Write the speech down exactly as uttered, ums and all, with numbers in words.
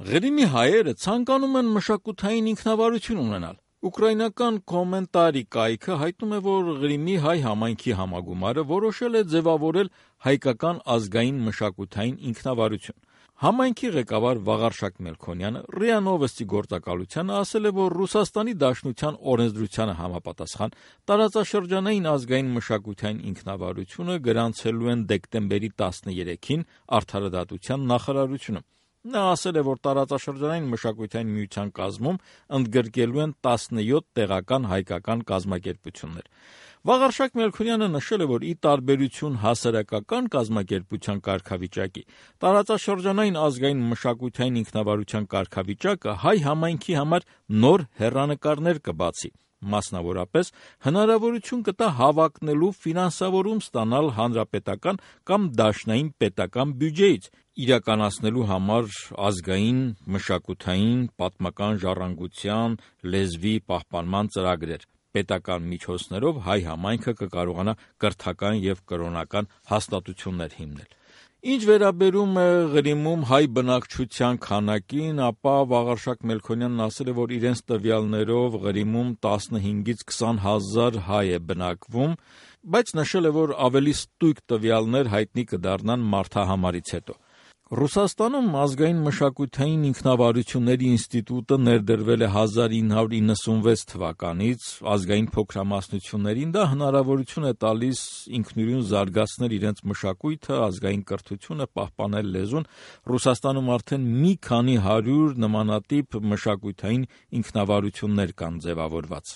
Ղրիմի հայերը ցանկանում են մշակութային ինքնավարություն ունենալ։ Ուկրաինական կոմենտարի կայքը հայտնում է, որ Ղրիմի հայ համայնքի համագումարը որոշել է ձևավորել հայկական ազգային մշակութային ինքնավարություն։ Համայնքի ղեկավար Վաղարշակ Մելքոնյանը ՌԻԱ Նովոստի գործակալությանը ասել է, որ Ռուսաստանի Դաշնության օրենսդրությանը համապատասխան տարածաշրջանային ազգային մշակութային ինքնավարությունը գրանցելու են դեկտեմբերի տասներեքին Արդարադատության նախարարությունը։ Նա ասել է, որ տարածաշրջանային մշակութային միության կազմում ընդգրկելու են տասնյոթ տեղական հայկական կազմակերպություններ։ Վաղարշակ Մելքոնյանը նշել է, որ ի տարբերություն հասարակական կազմակերպության կարգավիճակի, տարածաշրջանային ազգային մշակութային ինքնավարության կարգավիճակը հայ համայնքի համար նոր հեռանկարներ կբացի։ Մասնավորապես, հնարավորություն կտա հավակնելու ֆինանսավորում ստանալ հանրապետական կամ դաշնային պետական բյուջեից, իրականացնելու համար ազգային, մշակութային, պատմական ժառանգության, լեզվի պահպանման ծրագրեր։ Պետական միջոցներով հայ համայնքը կկարողանա կրթական և կրոնական հաստատություններ հիմնել։ Ինչ վերաբերում է Ղրիմում հայ բնակչության քանակին, ապա Վաղարշակ Մելքոնյանն ասել է, որ իրենց տվյալներով Ղրիմում տասնհինգից քսան հազար հայ է բնակվում, բայց նշել է, որ ավելի ստույգ տվյալներ հայտնի կդառնան մարդահամարից հետո։ Ռուսաստանում ազգային մշակութային ինքնավարությունների ինստիտուտը ներդրվել է հազար ինը հարյուր իննսունվեց թվականից, ազգային փոքրամասնություններին դա հնարավորություն է տալիս ինքնուրույն զարգացնել իրենց մշակույթը, ազգային կրթությունը, պահպանել լեզուն։ Ռուսաստանում արդեն մի քանի հարյուր նմանատիպ մշակութային ինքնավարություններ կան ձևավորված։